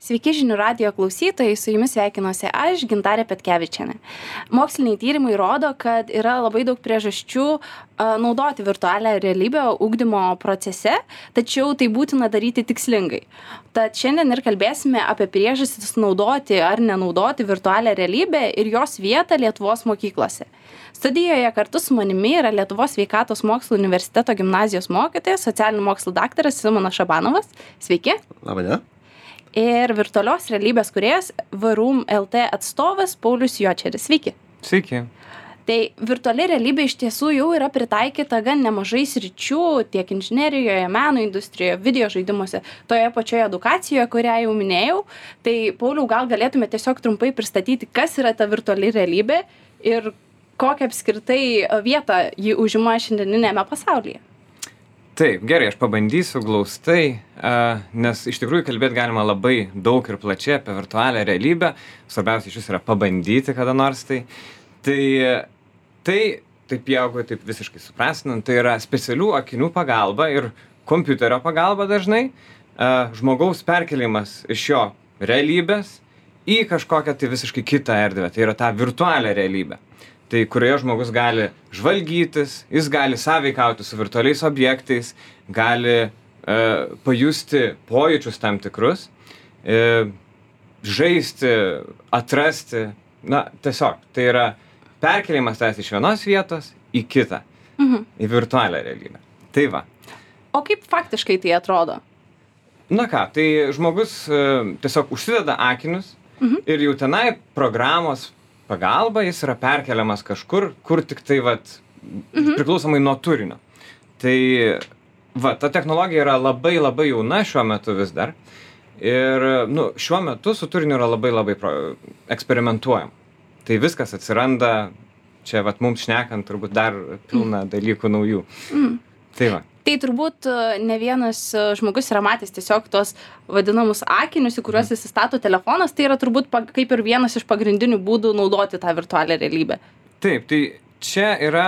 Sveiki žinių radijo klausytojai, su jumis sveikinuosi aš, Gintarė Petkevičienė. Moksliniai tyrimai rodo, kad yra labai daug priežasčių naudoti virtualią realybę ugdymo procese, tačiau tai būtina daryti tikslingai. Tad šiandien ir kalbėsime apie priežastis naudoti ar nenaudoti virtualią realybę ir jos vietą Lietuvos mokyklose. Studijoje kartu su manimi yra Lietuvos sveikatos mokslų universiteto gimnazijos mokytojas, socialinių mokslų daktaras Simonas Šabanovas. Sveiki. Labadiena. Ir virtualios realybės kūrėjas VRUM LT atstovas Paulius Jočeris. Sveiki. Sveiki. Tai virtuali realybė iš tiesų jau yra pritaikyta gan nemažai sričių tiek inžinerijoje, meno industrijoje, video žaidimuose, toje pačioje edukacijoje, kurią jau minėjau. Tai Pauliau, gal galėtume tiesiog trumpai pristatyti, kas yra ta virtuali realybė ir kokią apskritai vietą ji užima šiandieninėme pasaulyje. Taip, gerai, aš pabandysiu glaustai, nes iš tikrųjų kalbėti galima labai daug ir plačiai apie virtualią realybę. Svarbiausia iš vis yra pabandyti kada nors tai. Taip jeigu taip visiškai suprastinant, tai yra specialių akinių pagalba ir kompiuterio pagalba dažnai žmogaus perkelimas iš jo realybės į kažkokią tai visiškai kitą erdvę. Tai yra tą virtualią realybę. Tai kurioje žmogus gali žvalgytis, jis gali sąveikauti su virtualiais objektais, gali pajusti pojūčius tam tikrus, žaisti, atrasti, tiesiog. Tai yra perkelimas tavęs iš vienos vietos į kitą, į virtualią realybę. Tai va. O kaip faktiškai tai atrodo? Tai žmogus tiesiog užsideda akinius ir jau tenai programos pagalba jis yra perkeliamas kažkur, kur tik tai priklausomai nuo turinio. Tai ta technologija yra labai jauna šiuo metu vis dar. Ir šiuo metu su turiniu yra labai eksperimentuojama. Tai viskas atsiranda, čia mums šnekant turbūt dar pilna dalykų naujų. Tai va. Tai turbūt ne vienas žmogus yra matęs tiesiog tos vadinamus akinius, į kuriuos įsistato telefonas, tai yra turbūt kaip ir vienas iš pagrindinių būdų naudoti tą virtualią realybę. Taip, tai čia yra,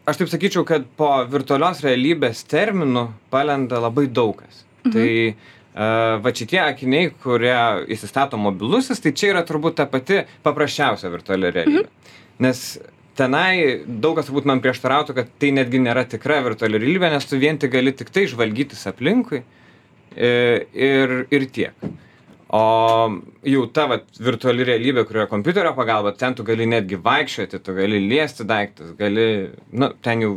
aš taip sakyčiau, kad po virtualios realybės terminų palenda labai daug kas. Tai šitie akiniai, kurie įsistato mobilusis, tai čia yra turbūt ta pati paprasčiausia virtuali realybė. Nes tenai daug kas turbūt man prieštarautų, kad tai netgi nėra tikra virtuali realybė, nes tu vien tik gali tik tai žvalgytis aplinkui ir tiek. O jau ta virtuali realybė, kurioje kompiuterio pagalba, ten tu gali netgi vaikščioti, tu gali liesti daiktus, ten jau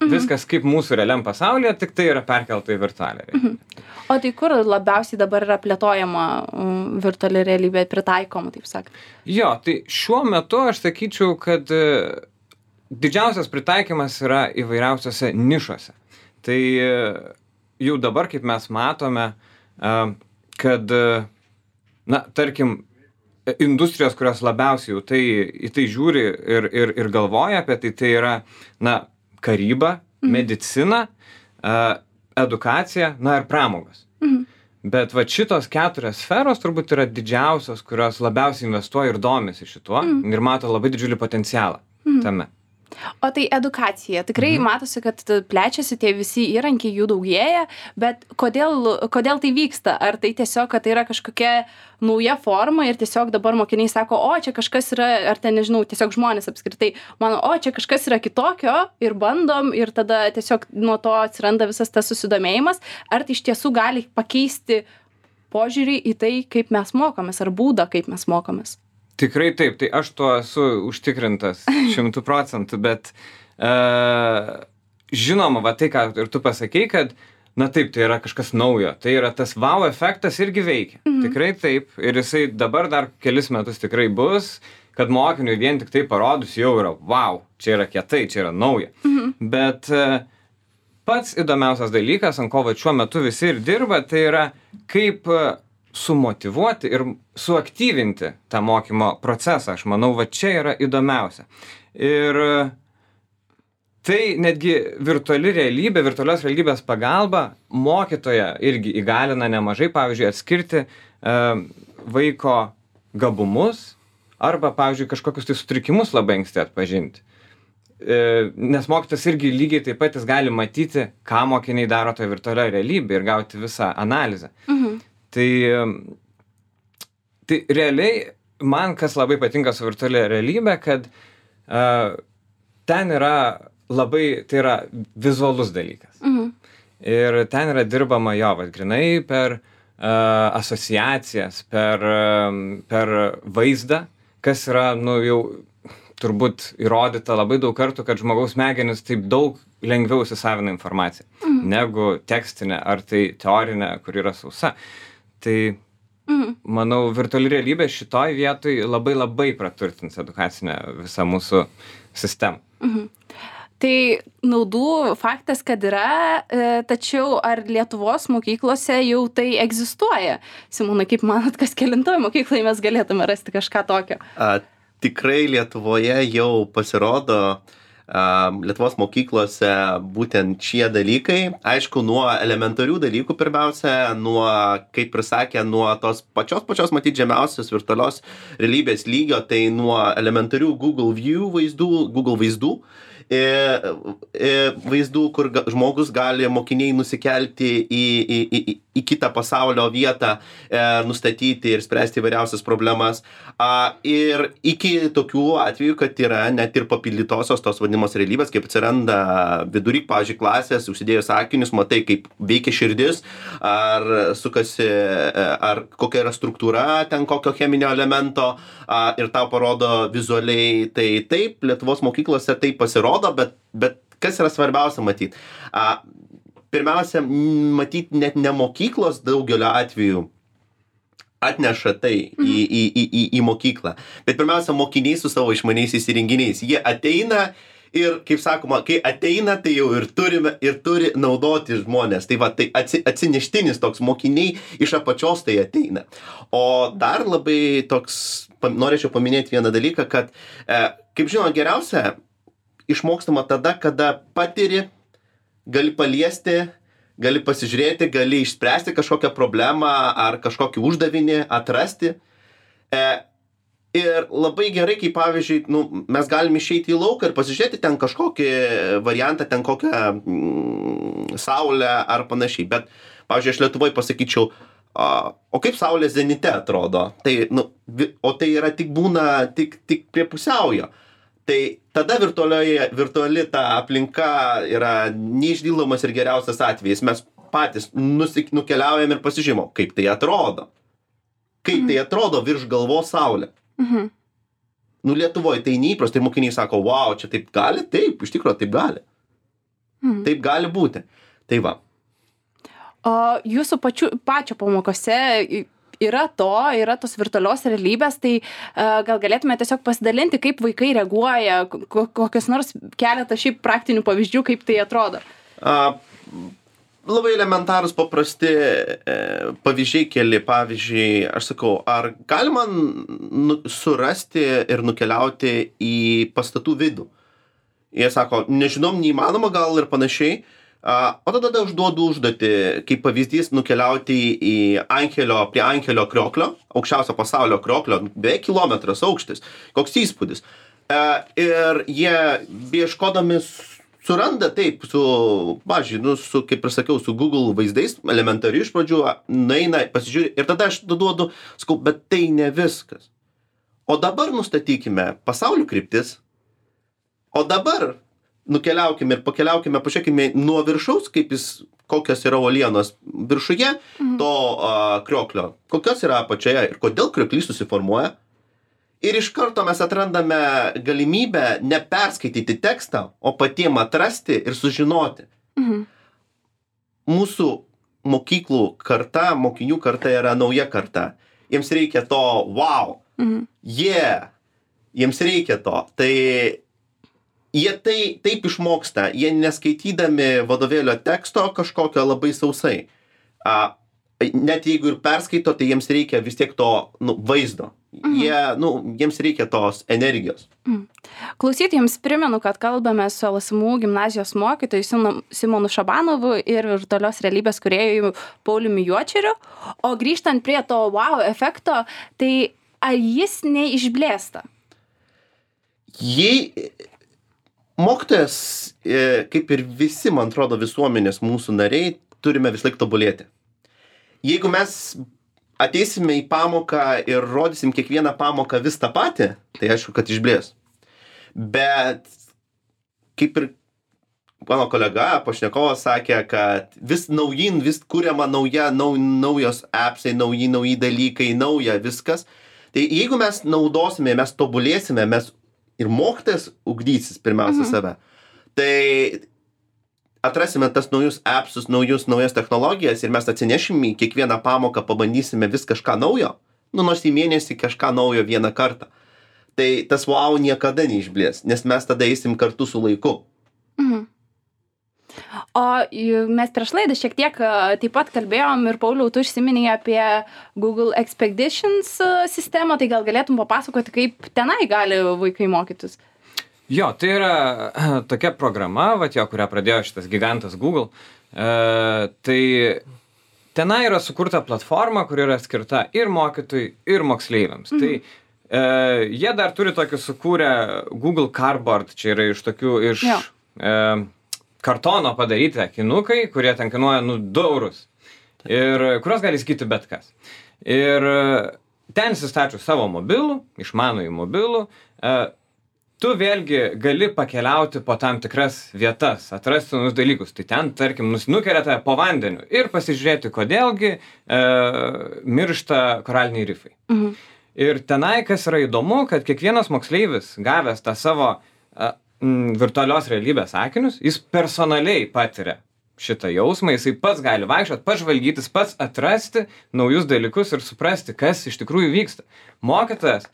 viskas kaip mūsų realiam pasaulyje, tik tai yra perkelta į virtualią realybę. O tai kur labiausiai dabar yra plėtojama virtuali realybė, pritaikoma, taip sakant? Jo, tai šiuo metu aš sakyčiau, kad didžiausias pritaikymas yra įvairiausiose nišose. Tai jau dabar, kaip mes matome, kad, tarkim, industrijos, kurios labiausiai jau į tai žiūri ir galvoja apie tai yra, karyba, medicina, edukacija, ir pramogos. Bet šitos 4 sferos turbūt yra didžiausios, kurios labiausiai investuoja ir domisi šituo ir mato labai didžiulį potencialą tame. O tai edukacija. Tikrai matosi, kad plečiasi tie visi įrankiai, jų daugėja, bet kodėl tai vyksta? Ar tai tiesiog, kad tai yra kažkokia nauja forma ir tiesiog dabar mokiniai sako, čia kažkas yra, ar ten nežinau, tiesiog žmonės apskritai mano, čia kažkas yra kitokio ir bandom ir tada tiesiog nuo to atsiranda visas tas susidomėjimas. Ar tai iš tiesų gali pakeisti požiūrį į tai, kaip mes mokomės, ar būdą, kaip mes mokomės? Tikrai taip, tai aš tuo esu užtikrintas 100%, bet žinoma, tai, ką ir tu pasakei, kad, taip, tai yra kažkas naujo, tai yra tas wow efektas irgi veikia. Tikrai taip, ir jisai dabar dar kelis metus tikrai bus, kad mokiniui vien tik tai parodus jau yra wow, čia yra kietai, čia yra nauja. Bet pats įdomiausias dalykas, ant ko šiuo metu visi ir dirba, tai yra kaip sumotyvuoti ir suaktyvinti tą mokymo procesą. Aš manau, čia yra įdomiausia. Ir tai netgi virtuali realybė, virtualios realybės pagalba mokytoją irgi įgalina nemažai, pavyzdžiui, atskirti vaiko gabumus arba, pavyzdžiui, kažkokius tai sutrikimus labai anksti atpažinti. Nes mokytas irgi lygiai taip pat jis gali matyti, ką mokiniai daro toje virtualioje realybėje ir gauti visą analizę. Tai realiai man kas labai patinka su virtualia realybė, kad ten yra tai yra vizualus dalykas. Ir ten yra dirbama grinai per asociacijas, per vaizdą, kas yra, jau turbūt įrodyta labai daug kartų, kad žmogaus smegenys taip daug lengviau įsisavina informaciją, negu tekstinė ar tai teorinė, kur yra sausa. Tai manau, virtuali realybė šitoj vietoj labai labai praturtins edukacinę visą mūsų sistemą. Tai naudų faktas, kad yra, tačiau ar Lietuvos mokyklose jau tai egzistuoja? Simonai, kaip manot, kas kelintoj mokyklai mes galėtume rasti kažką tokio? Tikrai Lietuvoje jau pasirodo Lietuvos mokyklose būtent šie dalykai. Aišku, nuo elementarių dalykų pirmiausia, kaip ir sakė, nuo tos pačios matyt žemiausios virtualios realybės lygio, tai nuo elementarių Google vaizdų, kur žmogus gali mokiniai nusikelti į kitą pasaulio vietą, nustatyti ir spręsti įvairiausias problemas. Ir iki tokių atvejų, kad yra net ir papildytosios tos vadinamos realybės, kaip atsiranda vidury, pavyzdžiui, klasės, užsidėjus akinius, matai, kaip veikia širdis, ar sukasi, ar kokia yra struktūra ten kokio cheminio elemento, ir tau parodo vizualiai. Tai taip, Lietuvos mokyklose tai pasirodo, bet kas yra svarbiausia matyti? Pirmiausia, matyti net ne mokyklos daugelio atveju atneša tai į mokyklą, bet pirmiausia, mokiniai su savo išmaniaisiais įrenginiais. Jie ateina ir, kaip sakoma, kai ateina, tai jau ir turi naudoti žmonės. Tai tai atsineštinis toks, mokiniai iš apačios tai ateina. O dar labai norėčiau paminėti vieną dalyką, kad, kaip žinoma, geriausia išmokstama tada, kada patiri, gali paliesti, gali pasižiūrėti, gali išspręsti kažkokią problemą ar kažkokį uždavinį, atrasti. Ir labai gerai, kai pavyzdžiui, mes galim išeiti į lauką ir pasižiūrėti ten kažkokį variantą, ten kokią saulę ar panašiai. Bet, pavyzdžiui, aš Lietuvoje pasakyčiau, o kaip saulė zenite atrodo? O tai yra tik prie pusiaujo. Tai tada virtuali ta aplinka yra neišdildomas ir geriausias atvejis. Mes patys nukeliaujam ir pasižiūrėjom, kaip tai atrodo. Kaip tai atrodo virš galvos saulė. Lietuvoje tai neįprasta, ir mokiniai sako, wow, čia taip gali? Taip, iš tikrųjų taip gali. Taip gali būti. Tai va. O jūsų pačio pamokose yra tos virtualios realybės, tai gal galėtume tiesiog pasidalinti, kaip vaikai reaguoja, kokios nors keletą šiaip praktinių pavyzdžių, kaip tai atrodo? Labai elementarūs, paprasti pavyzdžiai keli. Pavyzdžiui, aš sakau, ar galima surasti ir nukeliauti į pastatų vidų? Jie sako, nežinom, neįmanoma gal ir panašiai. O tada užduodu užduotį, kaip pavyzdys, nukeliauti prie Ankelio krioklio, aukščiausio pasaulio krioklio, beveik kilometras aukštis. Koks įspūdis. Ir jie ieškodami suranda taip, kaip ir sakiau, su Google vaizdais, elementariai iš pradžių, nueina, pasižiūri, ir tada aš duodu, sakau, bet tai ne viskas. O dabar nustatykime pasaulio kryptis, o dabar nukeliaukime ir pakeliaukime, pažiūrėkime nuo viršaus, kokios yra uolienos viršuje to krioklio, kokios yra apačioje ir kodėl krioklys susiformuoja. Ir iš karto mes atrandame galimybę neperskaityti tekstą, o patiem atrasti ir sužinoti. Mūsų mokyklų karta, mokinių karta yra nauja karta. Jiems reikia to wow. Jiems reikia to. Tai jie taip išmoksta, jie neskaitydami vadovėlio teksto kažkokio labai sausai. Net jeigu ir perskaito, tai jiems reikia vis tiek to vaizdo. Jiems reikia tos energijos. Klausytojams primenu, kad kalbame su LSMU gimnazijos mokytoju Simonu Šabanovu ir virtualios realybės kūrėju Pauliumi Juočeriu. O grįžtant prie to wow efekto, tai ar jis neišblėsta? Mokytojas, kaip ir visi, man atrodo, visuomenės mūsų nariai, turime vis laik tobulėti. Jeigu mes ateisime į pamoką ir rodysim kiekvieną pamoką vis tą patį, tai aišku, kad išblės. Bet kaip ir mano kolega, pašnekovas sakė, kad vis naujin, vis kuriama naujos appsai, nauji dalykai, nauja viskas. Tai jeigu mes naudosime, mes tobulėsime, mes ir mokytojas ugdysis pirmiausia save, tai atrasime tas naujus appsus, naujas technologijas ir mes atsinešim į kiekvieną pamoką, pabandysime vis kažką naujo, nors į mėnesį kažką naujo vieną kartą. Tai tas wow niekada neišblės, nes mes tada eisim kartu su laiku. O mes prieš laidą šiek tiek taip pat kalbėjom ir Pauliau, tu užsiminėjai apie Google Expeditions sistemą, tai gal galėtum papasakoti, kaip tenai gali vaikai mokytis? Jo, tai yra tokia programa, kurią pradėjo šitas gigantas Google. Tai tenai yra sukurta platforma, kuri yra skirta ir mokytojui, ir moksleiviams. Tai jie dar turi tokį sukūrę Google Cardboard, čia yra iš kartono padaryti akinukai, kurie ten kainuoja 2 eurus. Ir kurios gali įsigyti bet kas. Ir ten įsistačius savo mobilų, išmanųjį mobilų, tu vėlgi gali pakeliauti po tam tikras vietas, atrasti naujus dalykus. Tai ten, tarkim, nukelia tave po vandeniu ir pasižiūrėti, kodėlgi miršta koraliniai rifai. Ir tenai, kas yra įdomu, kad kiekvienas moksleivis, gavęs tą savo virtualios realybės akinius, jis personaliai patiria šitą jausmą, jisai pats gali vaikščioti, pats žvalgytis, pats atrasti naujus dalykus ir suprasti, kas iš tikrųjų vyksta. Mokytojas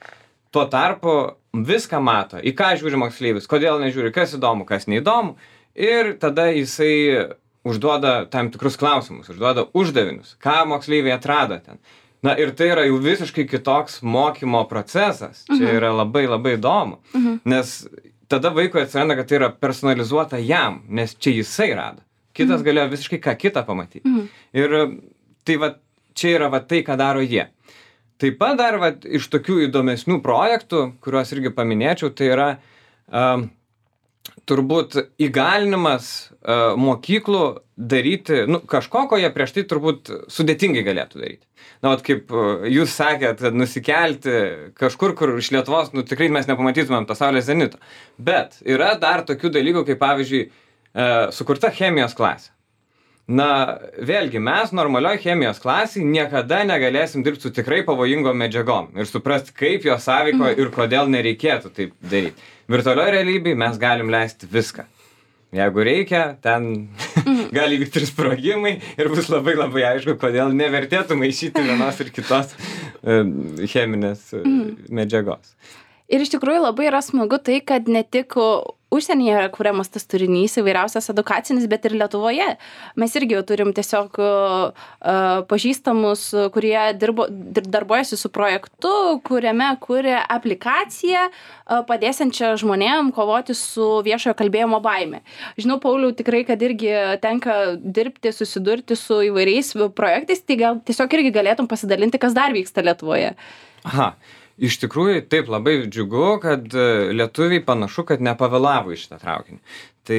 tuo tarpu viską mato, į ką žiūri moksleivis, kodėl nežiūri, kas įdomu, kas neįdomu, ir tada jisai užduoda tam tikrus klausimus, užduoda uždavinius, ką moksleiviai atrado ten. Na ir tai yra jau visiškai kitoks mokymo procesas, čia yra labai labai įdomu, nes tada vaikui atsiranda, kad tai yra personalizuota jam, nes čia jisai rado. Kitas galėjo visiškai ką kitą pamatyti. Ir tai čia yra tai, ką daro jie. Taip pat dar iš tokių įdomesnių projektų, kuriuos irgi paminėčiau, tai yra turbūt įgalinimas mokyklų daryti kažko, ko jie prieš tai turbūt sudėtingai galėtų daryti. Na, kaip jūs sakėt, nusikelti kažkur, kur iš Lietuvos, tikrai mes nepamatytumėm to saulės zenito. Bet yra dar tokių dalykų, kaip pavyzdžiui, sukurta chemijos klasė. Na, vėlgi, mes normalioj chemijos klasėj niekada negalėsim dirbti su tikrai pavojingom medžiagom ir suprasti, kaip jos sąveiko ir kodėl nereikėtų taip daryti. Virtualioj realybėj mes galim leisti viską. Jeigu reikia, ten gali vykti ir sprogimai ir bus labai labai aišku, kodėl nevertėtų maišyti vienos ir kitos cheminės medžiagos. Ir iš tikrųjų labai yra smagu tai, kad ne tik užsienyje yra kuriamas tas turinys įvairiausias edukacinis, bet ir Lietuvoje. Mes irgi turim tiesiog pažįstamus, kurie darbuojasi su projektu, kuriame kuria aplikaciją padėsiančią žmonėm kovoti su viešojo kalbėjimo baime. Žinau, Pauliau, tikrai, kad irgi tenka dirbti, susidurti su įvairiais projektais, tai gal tiesiog irgi galėtum pasidalinti, kas dar vyksta Lietuvoje. Aha. Iš tikrųjų, taip labai džiugu, kad lietuviai panašu, kad nepavėlavo į šitą traukinį. Tai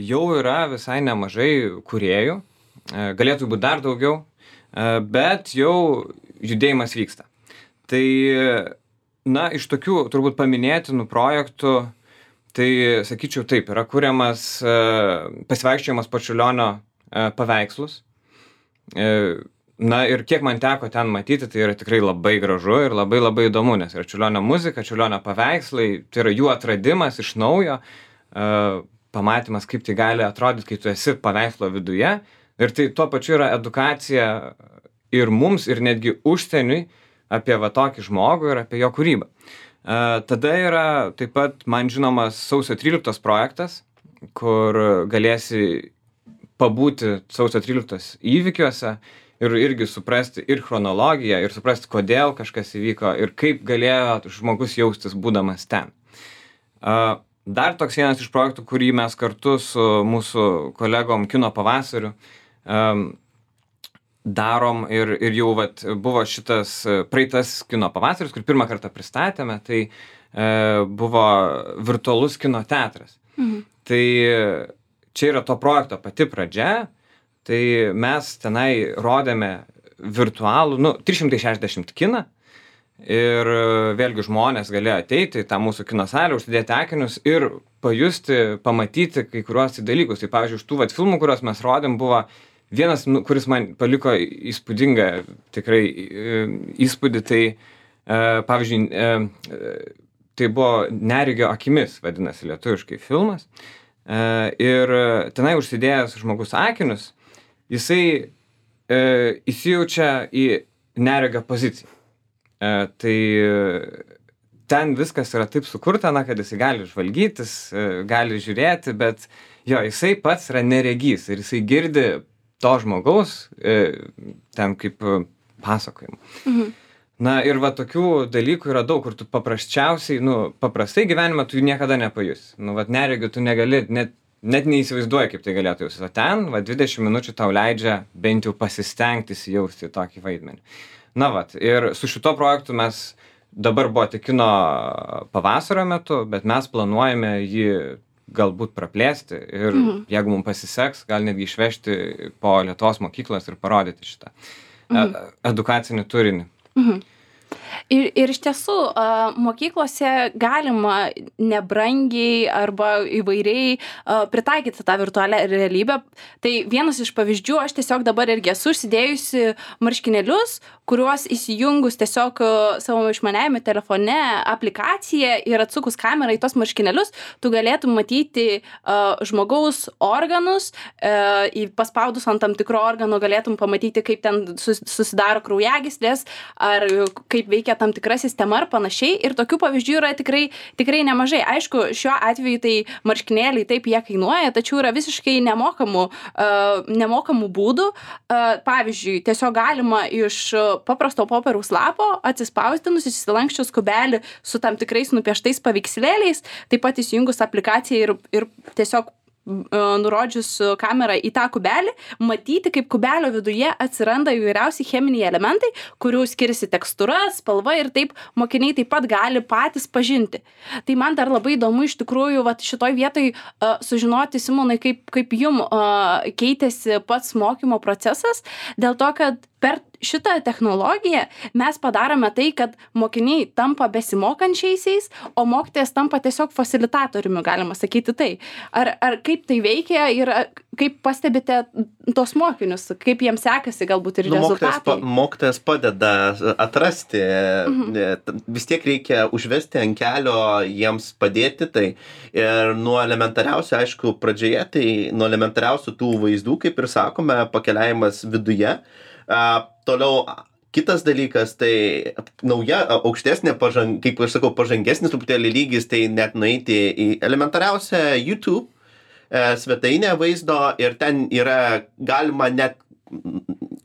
jau yra visai nemažai kūrėjų, galėtų būti dar daugiau, bet jau judėjimas vyksta. Tai, iš tokių turbūt paminėtinų projektų, tai sakyčiau taip, yra kuriamas pasivaikščiojimas po Čiurlionio paveikslus. Na ir kiek man teko ten matyti, tai yra tikrai labai gražu ir labai labai įdomu, nes yra Čiurlionio muzika, Čiurlionio paveikslai, tai yra jų atradimas iš naujo, pamatymas, kaip tai gali atrodyti, kai tu esi paveikslo viduje. Ir tai tuo pačiu yra edukacija ir mums, ir netgi užsieniui apie tokį žmogų ir apie jo kūrybą. Tada yra taip pat man žinomas sausio 13 projektas, kur galėsi pabūti sausio 13 įvykiuose, ir irgi suprasti ir chronologiją, ir suprasti, kodėl kažkas įvyko, ir kaip galėjo žmogus jaustis būdamas ten. Dar toks vienas iš projektų, kurį mes kartu su mūsų kolegom Kino pavasariu darom, ir jau buvo šitas praeitas Kino pavasaris, kur pirmą kartą pristatėme, tai buvo virtualus kino teatras. Tai čia yra to projekto pati pradžia. Tai mes tenai rodėme virtualų, 360 kiną. Ir vėlgi žmonės galėjo ateiti į tą mūsų kino salę, užsidėti akinius ir pajusti, pamatyti kai kuriuos dalykus. Tai pavyzdžiui, iš tų filmų, kuriuos mes rodėm, buvo vienas, kuris man paliko įspūdingą tikrai įspūdį, tai pavyzdžiui, tai buvo Neregio akimis, vadinasi lietuviškai filmas. Ir tenai užsidėjęs žmogus akinius, jisai įsijaučia į neregio poziciją. Tai ten viskas yra taip sukurta, kad jisai gali žvalgytis, gali žiūrėti, bet jo, jisai pats yra neregys ir jisai girdi to žmogaus ten kaip pasakojimą. Ir tokių dalykų yra daug, kur tu paprasčiausiai, paprastai gyvenime tu niekada nepajusi. Neregiu tu negali, net neįsivaizduoji, kaip tai galėtų jausis. O ten 20 minučių tau leidžia bent jau pasistengti įsijausti tokį vaidmenį. Ir su šito projektu mes dabar buvo tik kino pavasario metu, bet mes planuojame jį galbūt praplėsti ir jeigu mums pasiseks, gal netgi išvežti po Lietuvos mokyklas ir parodyti šitą edukacinį turinį. Ir iš tiesų, mokyklose galima nebrangiai arba įvairiai pritaikyti tą virtualią realybę. Tai vienas iš pavyzdžių, aš tiesiog dabar irgi esu užsidėjusi marškinėlius, kuriuos įsijungus tiesiog savo išmaniajame telefone aplikaciją ir atsukus kamerą į tos marškinėlius, tu galėtum matyti žmogaus organus, paspaudus ant tam tikro organo galėtum pamatyti, kaip ten susidaro kraujagyslės, ar kaip veikia tam tikra sistema ar panašiai. Ir tokių pavyzdžių yra tikrai nemažai. Aišku, šiuo atveju tai marškinėliai taip jie kainuoja, tačiau yra visiškai nemokamų būdų. Pavyzdžiui, tiesiog galima iš paprasto popieriaus lapo atsispausdinus, įsilanksčius kubelį su tam tikrais nupieštais paveikslėliais, taip pat įsijungus aplikaciją ir tiesiog nurodžius kamerą į tą kubelį, matyti, kaip kubelio viduje atsiranda įvairiausi cheminiai elementai, kurių skiriasi tekstūra, spalva ir taip mokiniai taip pat gali patys pažinti. Tai man dar labai įdomu iš tikrųjų šitoj vietoj sužinoti, Simonai, kaip jum keitėsi pats mokymo procesas, dėl to, kad per šitą technologiją mes padarome tai, kad mokiniai tampa besimokančiaisiais, o mokytojas tampa tiesiog fasilitatoriumi, galima sakyti tai. Ar kaip tai veikia ir kaip pastebite tos mokinius, kaip jiems sekasi galbūt ir rezultatai? Mokytojas padeda atrasti, vis tiek reikia užvesti ant kelio, jiems padėti tai. Ir nuo elementariausių, aišku, pradžioje, tai nuo elementariausių tų vaizdų, kaip ir sakome, pakeliavimas viduje. Toliau kitas dalykas, tai nauja, aukštesnė, kaip aš sakau, pažangesnis truputėlį lygis, tai net nueiti į elementariausią YouTube svetainę vaizdo ir ten yra galima net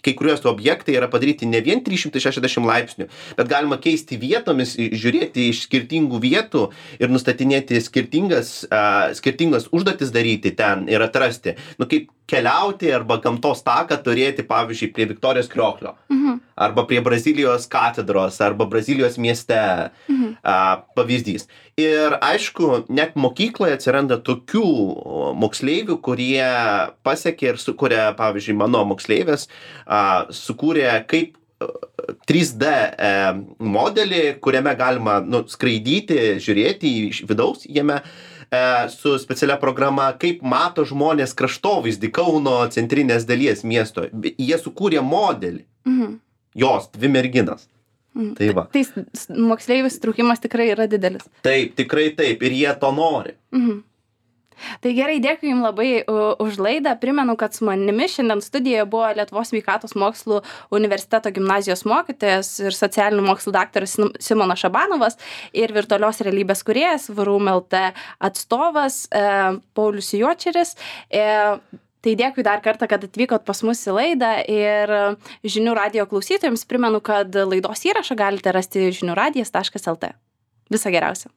kai kuriuos objektai yra padaryti ne vien 360 laipsnių, bet galima keisti vietomis, žiūrėti iš skirtingų vietų ir nustatinėti skirtingas užduotis daryti ten ir atrasti. Kaip keliauti arba gamtos taką turėti, pavyzdžiui, prie Viktorijos Krioklio, arba prie Brazilijos katedros, arba Brazilijos mieste pavyzdys. Ir aišku, net mokykloje atsiranda tokių moksleivių, kurie pasiekė ir sukūrė, pavyzdžiui, mano moksleivės, sukūrė kaip 3D modelį, kuriame galima skraidyti, žiūrėti iš vidaus jame, su specialia programa, kaip mato žmonės kraštovaizdį Kauno centrinės dalies miesto. Jie sukūrė modelį. Jos, 2 merginas. Tai va. Tai moksleivių įsitraukimas tikrai yra didelis. Taip, tikrai taip. Ir jie to nori. Tai gerai, dėkui Jums labai už laidą. Primenu, kad su manimi šiandien studijoje buvo Lietuvos sveikatos mokslų universiteto gimnazijos mokytojas ir socialinių mokslų daktaras Simonas Šabanovas ir virtualios realybės kūrėjas VRUM LT atstovas Paulius Juočeris. Tai dėkui dar kartą, kad atvykot pas mus į laidą ir Žinių radijo klausytojams primenu, kad laidos įrašą galite rasti žiniųradijas.lt. Viso geriausio.